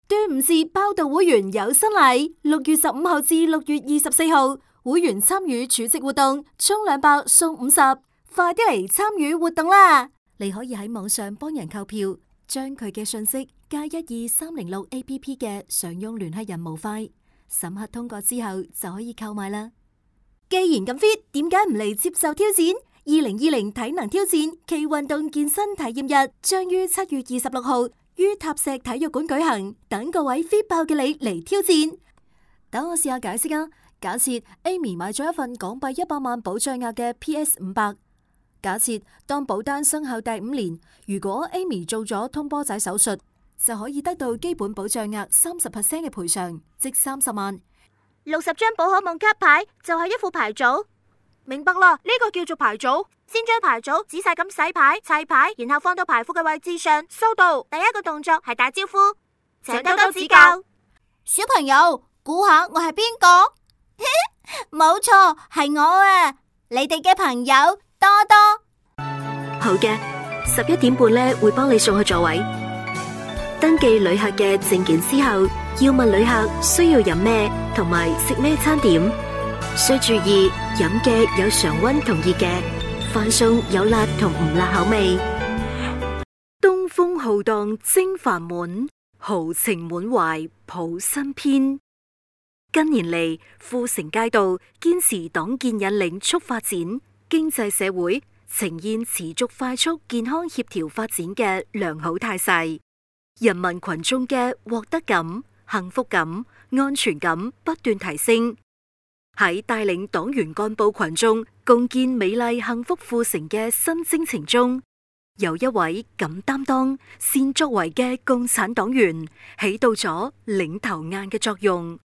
端午節包到會員有新禮，6月15號至6月24號，會員參與儲值活動，充200送50，快啲嚟參與活動啦！你可以喺網上幫人購票，將佢嘅信息加12306 APP 嘅常用聯繫人模塊，審核通過之後就可以購買啦。既然咁 fit， 點解唔嚟接受挑戰？2020體能挑戰暨運動健身體驗日將於7月26號於塔石體育館舉行，等各位 fit 爆嘅你嚟挑戰。等我試下解釋啊！假設 Amy 買咗一份港幣100萬保障額嘅 PS500，假設當保單生效第5年，如果 Amy 做咗通波仔手術，就可以得到基本保障額30% 嘅賠償，即30萬。60張寶可夢卡牌就係一副牌組，明白啦，呢個叫做牌組。先將牌組仔細咁洗牌、砌牌，然後放到牌庫嘅位置上，收到。第一個動作係打招呼，請多多指教。小朋友，估下我係邊個？冇錯，係我啊！你哋嘅朋友多多。好嘅，11點半呢會幫你送去座位。登記旅客嘅證件之後，要問旅客需要飲咩同埋食咩餐點，需注意飲嘅有常溫同熱嘅，飯餸有辣同唔辣口味。東風浩蕩征帆滿，豪情滿懷譜新篇。近年嚟，富城街道堅持黨建引領促發展，經濟社會呈現持續快速健康協調發展嘅良好態勢，人民群眾嘅獲得感、幸福感、安全感不斷提升。喺帶領黨員幹部群眾共建美麗幸福富城嘅新征程中，有一位敢擔當、善作為嘅共產黨員起到咗領頭雁嘅作用。